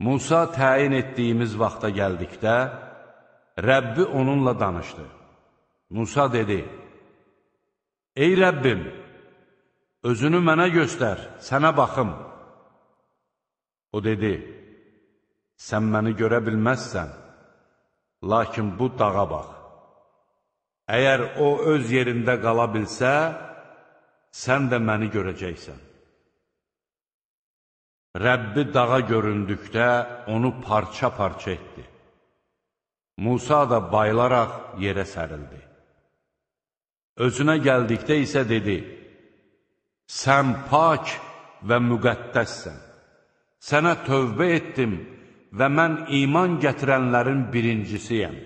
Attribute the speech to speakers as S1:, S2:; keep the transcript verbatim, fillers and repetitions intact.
S1: Musa təyin etdiyimiz vaxta gəldikdə, Rəbbi onunla danışdı. Musa dedi, ey Rəbbim, özünü mənə göstər, sənə baxım. O dedi, sən məni görə bilməzsən, lakin bu dağa bax. Əgər o öz yerində qala bilsə, sən də məni görəcəksən. Rəbbi dağa göründükdə onu parça-parça etdi. Musa da bayılaraq yerə sərildi. Özünə gəldikdə isə dedi, sən pak və müqəddəssən. Sənə tövbə etdim və mən iman gətirənlərin birincisiyəm.